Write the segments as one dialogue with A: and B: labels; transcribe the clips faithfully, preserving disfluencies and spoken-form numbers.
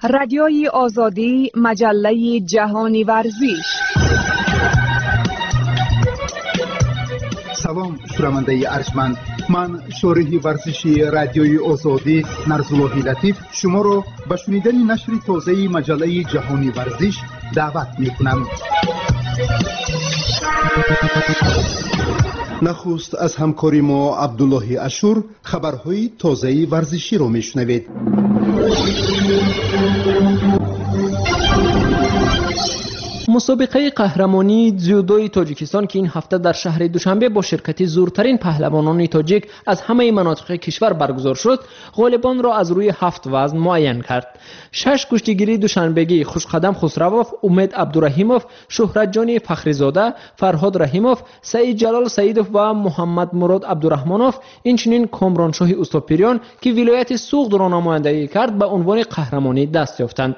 A: Радиои Озодӣ, маҷаллаи ҷаҳони варзиш.
B: Салом, шунавандаи арҷманд. Ман шориҳи варзиши Радиои Озодӣ Нарзуллоҳи Латиф шуморо ба шунидани нашри тозаи маҷаллаи ҷаҳони варзиш даъват мекунам. Нахуст аз ҳамкори мо Абдуллоҳи Ашур хабарҳои тозаи варзиширо мешунавед.
C: Мусобиқаи қаҳрамонии дзюдои Тоҷикистон, ки ин ҳафта дар шаҳри Душанбе бо ширкати зуртарин паҳлавонони тоҷик аз ҳамаи манотиқи кишвар баргузор шуд, ғолибонро аз рӯи ҳафт вазн муайян кард. Шаш гӯштигири душанбегӣ Хушқадам Хусравов, Умед Абдураҳимов, Шуҳратҷони Фахризода, Фарҳод Раҳимов, Саидҷалол Саидов ва Муҳаммадмурод Абдураҳмонов, инчунин Комроншоҳи Устопирён, ки вилояти Суғдро намояндагӣ кард, ба унвони қаҳрамонӣ даст ёфтанд.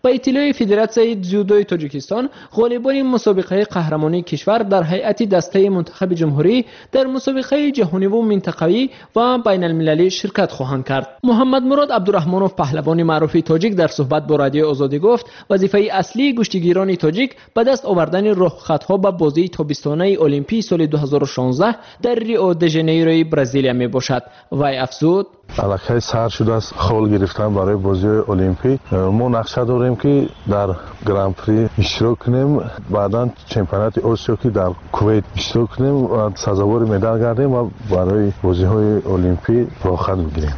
C: Ба иттилои Федератсияи дзюдои Тоҷикистон, ғолибони мусобиқаи қаҳрамонии кишвар дар ҳайати дастаи мунтахаби ҷумҳурӣ дар мусобиқаи ҷаҳониву минтақавӣ ва байналмилалӣ ширкат хоҳанд кард. Муҳаммадмурод Абдураҳмонов, паҳлавони маъруфи тоҷик, дар суҳбат бо Радиои Озодӣ гуфт, вазифаи аслии гӯштигирони тоҷик ба даст овардани роҳхатҳо ба бозии тобистонаи Олимпии соли ду ҳазору шонздаҳ дар Рио де Жанейрои Бразилия мебошад. Вай афзуд:
D: аллакай сар шудааст хол гирифтан барои бозиҳои Олимпӣ. Мо нақша дорем, ки дар Гран-при иштирок кунем, баъдан чемпионати Осиё, ки дар Кувейт иштирок кунем ва сазовори медал гардем ва барои бозиҳои Олимпӣ роҳхат бигирем.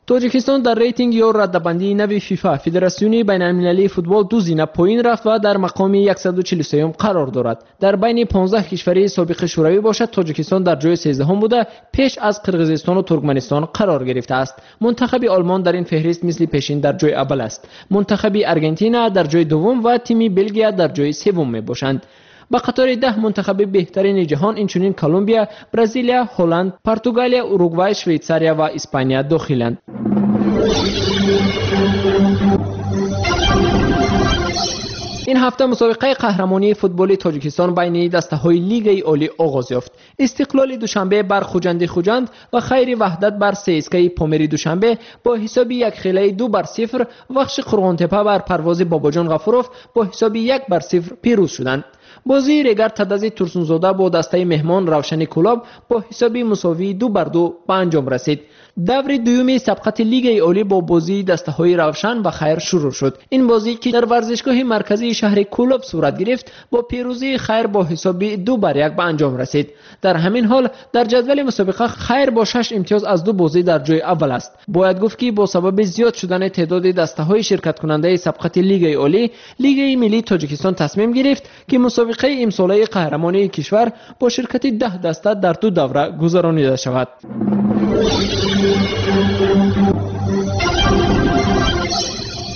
C: Тоҷикистон дар рейтинг ё раддабандии нави ФИФА, Федератсиони байналмилалии футбол, ду зина поин рафт ва дар мақоми яксаду чилу сеюм қарор дорад. Дар байни понздаҳ кишвари собиқи Шӯравӣ бошад, Тоҷикистон дар ҷои сездаҳум буда, пеш аз Қирғизистону Туркманистон қарор гирифтааст. Мунтахаби Олмон дар ин феҳрист мисли пешин дар ҷои аввал аст. Мунтахаби Аргентина дар ҷои дуввум ва тими Белгия дар ҷои севум мебошанд. Ба қатори даҳ мунтахаби беҳтарини ҷаҳон инчунин Колумбия, Бразилия, Ҳолланд, Португалия, Уругвай, Швейтсария ва Испания дохиланд. Ин ҳафта мусобиқаи қаҳрамонии футболи Тоҷикистон байни дастаҳои Лигаи Олӣ оғоз ёфт. Истиқлоли Душанбе бар Хуҷанди Хуҷанд ва Хайри Ваҳдат бар ССКи Помири Душанбе бо ҳисоби якхелаи ду бар сифр, Вахши Қурғонтепа бар Парвози Бобоҷон Ғафуров бо ҳисоби як бар сифр пирӯз шуданд. Бозии Регар Тадази Турсунзода бо дастаи меҳмон Равшани Кӯлоб бо ҳисоби мусовии ду бар ду ба анҷом расид. Даври дуюми сабқати Лигаи Олӣ бо бозии дастаҳои Равшан ва Хайр шурӯъ шуд. Ин бозӣ, ки дар варзишгоҳи марказии шаҳри Кӯлоб сурат гирифт, бо пирӯзии Хайр бо ҳисоби ду бар як ба анҷом расид. Дар ҳамин ҳол дар ҷадвали мусобиқа Хайр бо шаш имтиёз аз ду бозӣ дар ҷои аввал аст. Бояд гуфт, ки бо сабаби зиёд шудани теъдоди дастаҳои ширкаткунандаи сабқати Лигаи Олӣ, Лигаи миллии Тоҷикистон тасмим гирифт, ки мусобиқаи имсолаи қаҳрамонии кишвар бо ширкати даҳ даста дар ду давра гузаронида шавад.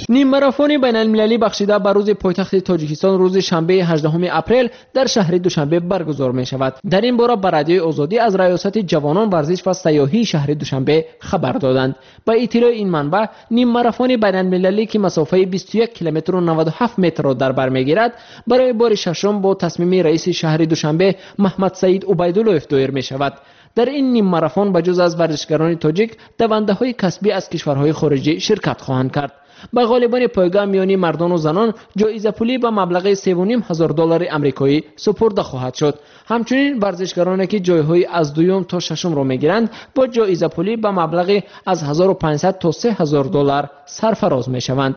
C: Ниммарафони байналмилалӣ бахшида ба рӯзи пойтахти Тоҷикистон рӯзи шанбеи ҳаждаҳуми апрел дар шаҳри Душанбе баргузор мешавад. Дар ин бора ба Радиои Озодӣ аз Раёсати ҷавонон, варзиш ва сайёҳии шаҳри Душанбе хабар доданд. Ба иттилои ин манбаъ, ниммарафони байналмилалӣ, ки масофаи бисту як километру наваду ҳафт метрро дар бар мегирад, барои бори шашум бо тасмими раиси шаҳри Душанбе Маҳмадсаид Убайдуллоев доир мешавад. Дар ин ниммарафон ба ҷуз аз варзишгарони тоҷик, давандаҳои касбӣ аз кишварҳои хориҷӣ ширкат хоҳанд кард. Ба ғолибони пойгоҳ миёни мардону занон ҷоизапулӣ ба маблағи севу ним ҳазор доллари амрикоӣ супурда хоҳад шуд. Ҳамчунин варзишгароне, ки ҷойҳои аз дуюм то шашумро мегиранд, бо ҷоизапулӣ ба маблағи аз ҳазору панҷсад то се ҳазор доллар сарфароз мешаванд.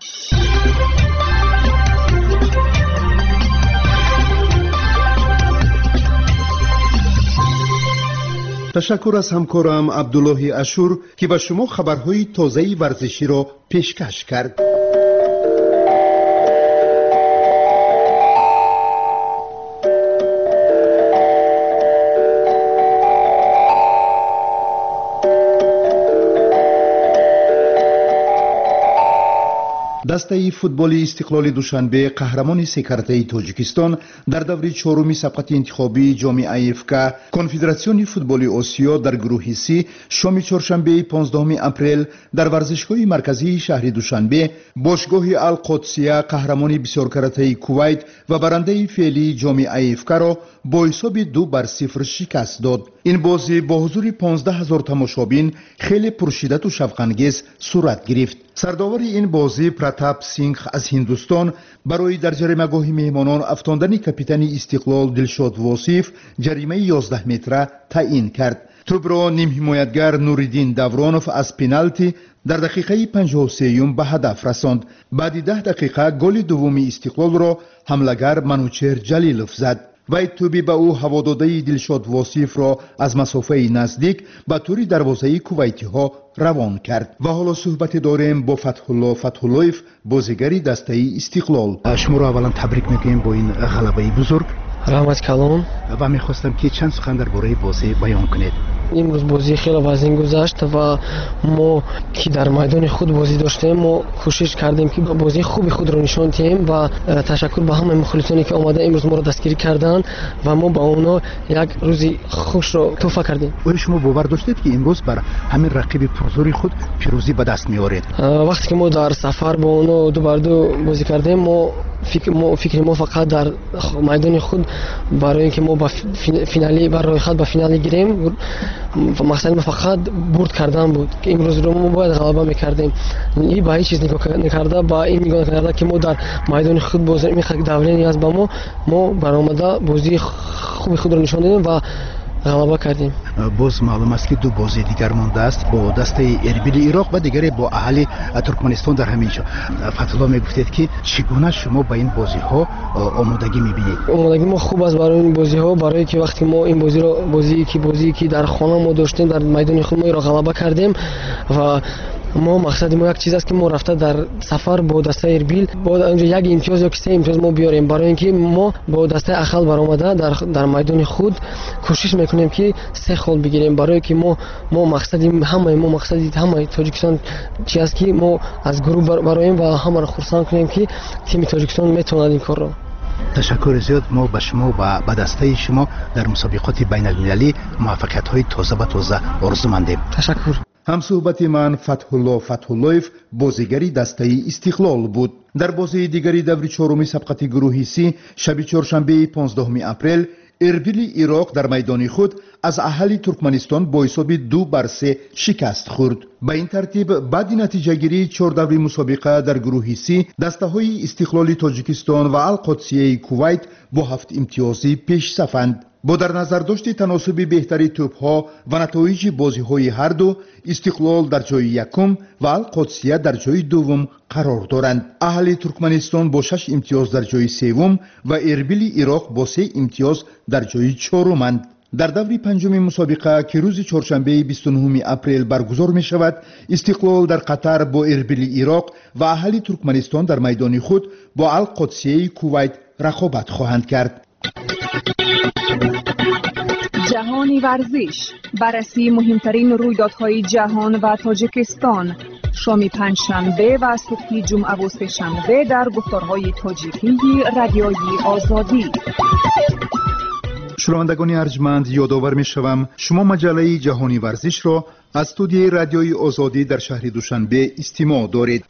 B: Ташаккур аз ҳамкорам Абдуллоҳи Ашур, ки ба шумо хабарҳои тозаи варзиширо пешкаш кард. Дастаи футболи Истиқлоли Душанбе, қаҳрамони секартаи Тоҷикистон, дар даври чоруми сабқати интихобии ҷоми А Ф К Конфедератсиони футболи Осиё дар гурӯҳи Си шоми чоршанбеи понздаҳуми апрел дар варзишгоҳи марказии шаҳри Душанбе бошгоҳи Ал-Қодсия, қаҳрамони бисёркаратаи Кувайт ва барандаи феълии ҷоми А Ф К-ро бо ҳисоби ду бар сифр шикаст дод. Ин бозӣ бо ҳузури понздаҳ ҳазор тамошобин хеле пуршиддату шавқангез сурат гирифт. Сардовари ин бозӣ Пратап Сингх аз Ҳиндустон барои дар ҷаримагоҳи меҳмонон афтондани капитани Истиқлол Дилшод Восиф ҷаримаи ёздаҳ метра таъин кард. Тӯбро нимҳимоятгар Нуриддин Давронов аз пеналти дар дақиқаи панҷоҳу сеюм ба ҳадаф расонд. Баъди даҳ дақиқа голи дуввуми Истиқлолро ҳамлагар Манучер Ҷалилов зад. Вай тӯби ба ӯ ҳавододаи Дилшод Восифро аз масофаи наздик ба тури дарвозаи кувайтиҳо равон кард. Ва ҳоло суҳбате дорем бо Фатҳулло Фатҳуллоев, бозигари дастаи Истиқлол. Шуморо аввалан табрик мекунем бо ин ғалабаи бузург.
E: Раҳмат калон.
B: Ва мехостам ки чанд сухан дар бораи бозӣ баён кунед.
E: Имрӯз бозӣ хеле вазнин гузашт ва мо ки дар майдони худ бозӣ доштем, мо кӯшиш кардем ки бозии хуби худро нишон диҳем ва ташаккур ба ҳамаи мухлисоне ки омада имрӯз моро дастгирӣ карданд ва мо ба онҳо як рӯзи хушро тӯҳфа кардем.
B: Оё шумо бовар доштед ки имрӯз бар ҳамин рақиби пурзӯри худ пирӯзӣ ба даст меоред?
E: Вақте ки мо дар сафар бо онҳо ду бар ду бозӣ кардем, мо фикри мо фақат дар майдони худ барои ин ки мо ба финали, ба рӯйхат ба финали гирем, мақсади мо фақат бурд кардан буд. Имрӯзро мо бояд ғалаба мекардем. И ба ҳеҷ чиз нигоҳ накарда, ба ин нигоҳ накарда ки мо дар майдони худ боз ин қадар давление аст ба мо, мо баромада бозии хуби худро нишон додем ва ғалаба кардем.
B: Боз маълум аст ки ду бозии дигар мондааст бо дастаи Эрбили Ироқ ва дигаре бо аҳли Туркманистон дар ҳамин ҷо. Фатҳулло, мегуфтед ки чӣ гуна шумо ба ин бозиҳо омодагӣ мебинед?
E: Омодагӣ мо хуб аст барои ин бозиҳо, барое ки вақте мо ин бозиро, бозие ки бозие ки дар хона мо доштем, дар майдони худ мо инро ғалаба кардем ва мо мақсади мо як чиз аст ки мо рафта дар сафар бо дастаи Эрбил бо онҷо як имтиёз ё се имтиёз мо биёрем, барои ин ки мо бо дастаи Ахал баромада дар, дар майдони худ кӯшиш мекунем ки се хол бигирем, барое ки мо мо мақсади ҳамаи мо мақсади ҳамаи Тоҷикистон чи аст ки мо аз гурӯҳ бароем ва ҳамаро хурсанд кунем ки тими Тоҷикистон метавонад ин корро.
B: Ташаккури зиёд. Мо ба шумо ва ба дастаи шумо дар мусобиқоти байналмилалӣ муваффақиятҳои тоза ба тоза орзумандем.
E: Ташаккур.
B: Ҳамсуҳбати ман Фатҳулло Фатҳуллоев, бозигари дастаи Истиқлол буд. Дар бозии дигари даври чоруми сабқати гурӯҳи Си шаби чоршанбеи понздаҳуми апрел Эрбили Ироқ дар майдони худ аз аҳали Туркманистон бо ҳисоби ду бар се шикаст хӯрд. Ба ин тартиб баъди натиҷагирии чор даври мусобиқа дар гурӯҳи Си дастаҳои Истиқлоли Тоҷикистон ва Алқодсияи Кувайт бо ҳафт имтиёзӣ пешсафанд. Бо дар назардошти таносуби беҳтари тӯбҳо ва натоиҷи бозиҳои ҳарду, Истиқлол дар ҷои якум ва Алқодсия дар ҷои дуввум қарор доранд. Аҳли Туркманистон бо шаш имтиёз дар ҷои севум ва Эрбили Ироқ бо се имтиёз дар ҷои чоруманд. Дар даври панҷуми мусобиқа ки рӯзи чоршанбеи бисту нуҳуми апрел баргузор мешавад, Истиқлол дар Қатар бо Эрбили Ироқ ва аҳли Туркманистон дар майдони худ бо Алқодсияи Кувайт рақобат хоҳанд кард.
A: ҷаҳони варзиш, баррасии муҳимтарин рӯйдодҳои ҷаҳон ва Тоҷикистон. Шоми панҷшанбе ва субҳи ҷумъаву сешанбе дар гуфторҳои тоҷикии Радиои Озодӣ.
B: Шунавандагони арҷманд, ёдовар мешавам, шумо маҷаллаи ҷаҳони варзишро аз студияи Радиои Озодӣ дар шаҳри Душанбе истимоъ доред.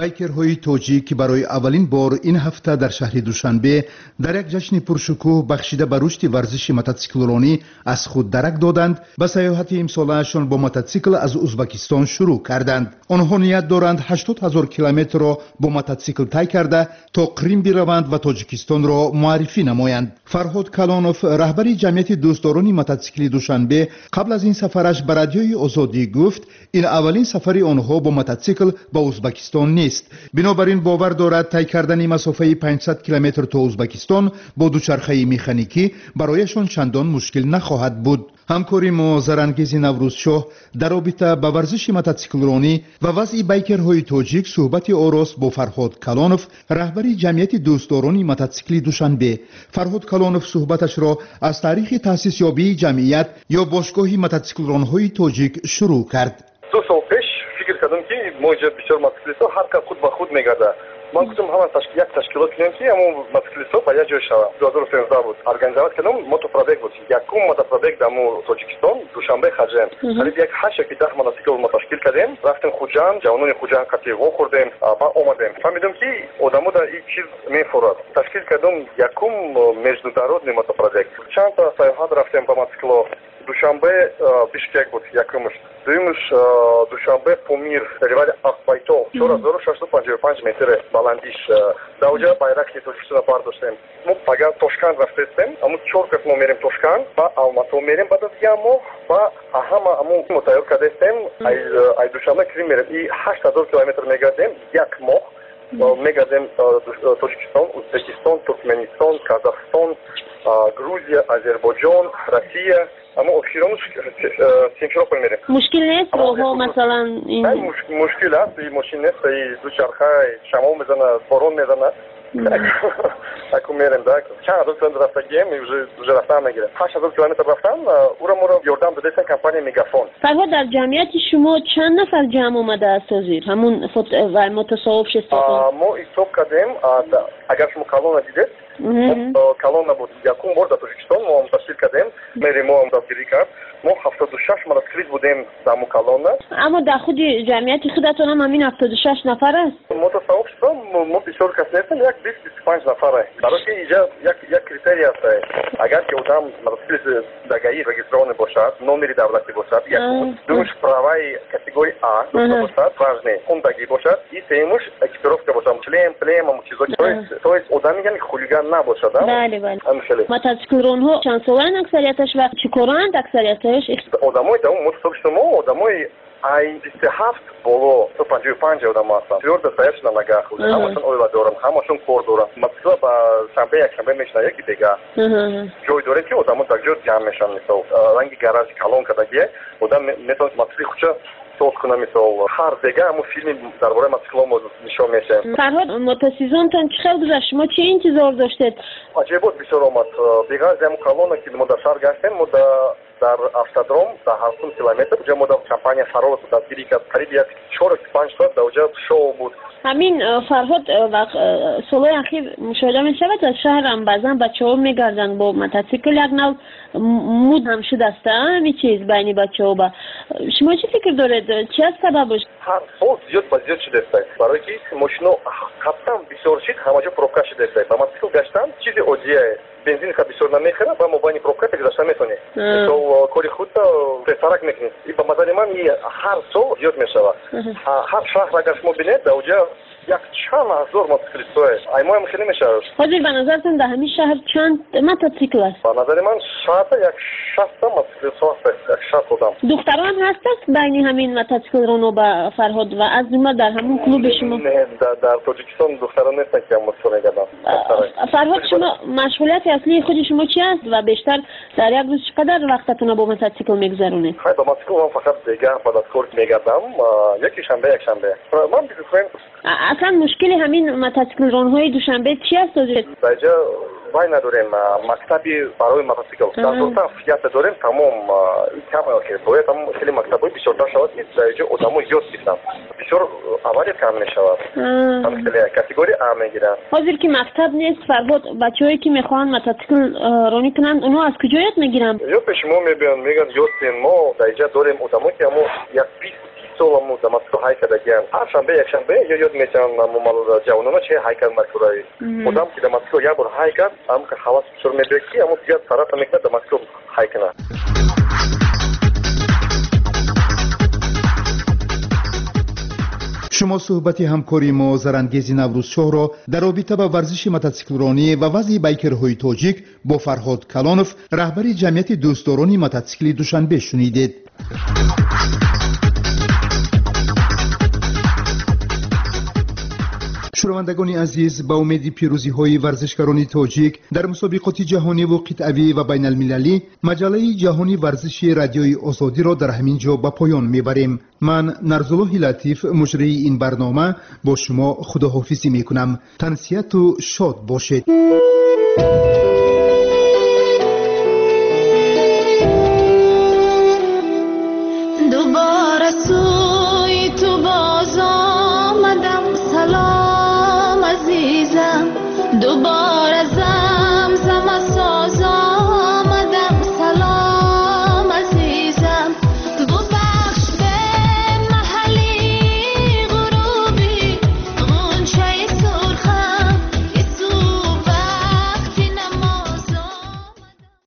B: Байкерҳои тоҷик ки барои аввалин бор ин ҳафта дар шаҳри Душанбе дар як ҷашни пуршукӯҳ бахшида ба рушди варзиши мототсиклронӣ аз худ дарак доданд, ба сайёҳати имсолаашон бо мототсикл аз Узбакистон шурӯъ карданд. Онҳо ният доранд ҳаштод ҳазор километрро бо мототсикл тай карда то Қрим бираванд ва Тоҷикистонро муаррифӣ намоянд. Фарҳод Калонов, раҳбари ҷамъияти дӯстдорони мототсикли Душанбе, қабл аз ин сафараш ба Радиои Озодӣ гуфт, ин аввалин сафари онҳо бо мототсикл ба Узбакистон нест. Бинобар ин бовар дорад тай кардани масофаи панҷсад километр то Узбакистон бо дучархаи механикӣ барояшон чандон мушкил нахоҳад буд. Ҳамкори мо Зарангези Наврӯзшоҳ дар робита ба варзиши мототсиклронӣ ва вазъи байкерҳои тоҷик суҳбати орост бо Фарҳод Калонов, раҳбари ҷамъияти дӯстдорони мототсикли Душанбе. Фарҳод Калонов суҳбаташро аз таърихи таъсисёбии ҷамъият ё бошгоҳи мототсиклронҳои тоҷик шурӯъ кард.
F: Ду сол пеш фикр кардам ки мо инҷо бисёр мототсиклистҳо ҳар кас худ ба худ мегардад. Ман гуфтам ҳама як ташкилот кунем, ки ҳамон мотоциклистҳо ба як ҷой шаванд. ду ҳазору сенздаҳ буд. Организовать кардам, мотопробег буд. Якум мотопробег дар Тоҷикистон, Душанбе Хаҷем. Қариб як ҳашт яки даҳ мотоцикл мо ташкил кардем. Рафтем Хуҷанд, ҷавонони Хуҷанд қатъи вохӯрдем ва омадем. Фаҳмидем, ки одамо дар ин чиз мефурад. Ташкил кардам якум международный мотопробег. Чанд та саёҳат рафтем ба мотоцикло. Душанбе Бишкек буд якумш. Дуюмш Душанбе Помир, перевали Ақбайтол, чор ҳазору шашсаду панҷоҳу панҷ метр баландиш. Дар оҷа байрақи Тоҷикистонро бардоштем. Мо пага Тошканд рафтестем. Аммо чор кас мо мерем Тошканд, ба Алмато мерем баъд аз як моҳ, ба ҳама аммо мо тайёр кардастем. Ай Душанбе Крим мерем. И ҳашт ҳазор километр мегардем як моҳ. Мегардем Тоҷикистон, Узбекистон, Туркменистон, Казахстон, Грузия, Азербойҷон, Россия. Аммо охиронуш Симферополь мерем.
G: Мушкил нест роҳҳо масалан?
F: Мушкил аст, мошин нест, дучарха шамол мезана, борон мезана. Аку мерем, да. Чанд ҳазор километр рафтагием, уже рафтан мегирем. Ҳашт ҳазор километр рафтан, ура моро ёрдам додастан компания Мегафон.
G: Фарҳод, дар ҷамъияти шумо чанд нафар ҷамъ омадааст ҳозир? Ҳамун мотосообщество?
F: Мо ҳисоб кардем, агар шумо колонна дидед, колонна буд. Якум бор дар Тоҷикистон мо ташкил кардем, мери мо дастгирӣ кард. Мо ҳафтоду шаш мотоциклист будем дар мо колонна.
G: Аммо дар худи ҷамъияти худатон ҳам ҳамин ҳафтоду шаш нафар аст?
F: Мотосообщество мо бисёр кас нестем, як бист бисту панҷ нафар. Барои ки инҷа як як критерий аст. Агар ки одам мотоциклист дар ГАИ регистрированный бошад, номери давлатӣ бошад, якум, дуюмш праваи категории А дошта бошад, важный, хондагӣ бошад, и сеюмш экипировка бошад, шлем, плем, ҳамон чизо. То есть одами яъне хулиган набошад.
G: Бале, бале. Мотоциклронҳо чанд солаанд аксарияташ ва чӣ коранд аксарияташ?
F: Одамои дар мотосообщество мо одамои ай бисту ҳафт боло то панҷоҳу панҷ одам ҳастанд. Твёрдо стоящие на ногах. Ҳамашон оила доранд, ҳамашон кор доранд. Мотоцикл ба шанбе якшанбе мешинад, яки дега. Ҷой дорем, ки одамо дар ҷо ҷамъ мешаванд. Мисол ранги гараж калон кардагие, одам метавонад мотоцикли худша соз кунад. Мисол ҳар дега ҳамун филми дар бораи мотоцикло мо нишон мешавем.
G: Фарҳод, мотосезонтон чӣ хел гузашт? Шумо чӣ интизор доштед?
F: Аҷоибот бисёр омад. Беғараз ҳамун колонна, ки мо дар шаҳр гаштем, мо дар автодром дар ҳафтум километр уҷа мо дар компания Фарос дастгирӣ кард. Қариб як чор панҷ соат дар уҷа шоу буд.
G: Ҳамин Фарҳод, солҳои ахир мушоҳида мешавад, аз шаҳрам баъзан бачаҳо мегарданд бо мотоцикл, як нав муд ҳам шудааст ҳамин чиз байни бачаҳо. Ба шумо чӣ фикр доред, чи аст сабабаш?
F: Ҳар сол зиёд ба зиёд шудааст, барое ки мошино қабтан бисёр шид, ҳама ҷо пробка шудааст. Ба мотоцикл гаштан чизи оддие, бензин ха бисёр намехӯрад ва мо байни пробка гузашта метавонем. Мисол кори худро тезтарак мекунед. И ба назари ман ҳар сол зиёд мешавад. Ҳар шаҳр агар шумо бинед, дар уҷа як чанд ҳазор мотоциклистҳое. Ай моям хеле мешавад.
G: Ҳозир ба назартон дар ҳамин шаҳр чанд мотоцикл аст?
F: Ба назари ман шаҳрда як шастта мотоциклистҳо ҳаст, як шаст одам.
G: Духтарон ҳастанд байни ҳамин мотоциклроно ба Фарҳод ва аз ҷумла дар ҳамун клуби шумо?
F: Не, дар Тоҷикистон духтарон нестанд, ки мотоцикл мегарданд.
G: Фарҳод, шумо машғулияти аслии худи шумо чи аст ва бештар дар як рӯз чӣ қадар вақтатонро бо мотоцикл мегузаронед?
F: Хай, ба мотоцикл ман фақат дега баъд аз кор мегардам, яки шанбе, якшанбе. Ман бизнесмен.
G: Аслан мушкили ҳамин мотоциклронҳои Душанбе чи аст ҳозир?
F: Дар инҷа вай надорем, мактаби барои мотоцикл. Дар Дуртаф якта дорем, тамом кам бояд ҳам хеле мактабҳои бисёртар шавад, ки дар инҷо одамо ёд гиранд. Бисёр авария кам мешавад. Ҳам хеле категория А мегиранд.
G: Ҳозир ки мактаб нест, Фарҳод, бачаҳое ки мехоҳанд мотоцикл ронӣ кунанд, онҳо аз куҷо ёд мегиранд?
F: Ё пеши мо мебиёнд, мегӯянд ёд диҳем. Мо дар инҷа дорем одамо, ки ҳамо як бист соламу дар мотоцикл ҳай кардагианд. Ҳар шанбе якшанбе ё ёд метиҳанд ҷавонона чи ҳай кард маркураи. Одам ки дар мотоцикл як бор ҳай кард, ҳам ҳавас бисёр мебиёд, ки ҳамо дигар тарафа мекунад дар мотоцикл ҳай кунад.
B: Шумо суҳбати ҳамкори мо Зарангези Наврӯзшоҳро дар робита ба варзиши мотоциклронӣ ва вазъи байкерҳои тоҷик бо Фарҳод Калонов, раҳбари ҷамъияти дӯстдорони мотоцикли Душанбе шунидед. Шунавандагони азиз, ба умеди пирӯзиҳои варзишгарони тоҷик дар мусобиқоти ҷаҳониву қитъавӣ ва байналмилалӣ, маҷаллаи ҷаҳони варзиши радиои озодиро дар ҳамин ҷо ба поён мебарем. Ман Нарзуллоҳи Латиф, муҷрии ин барнома, бо шумо худоҳофизӣ мекунам. Тансиҳату шод бошед.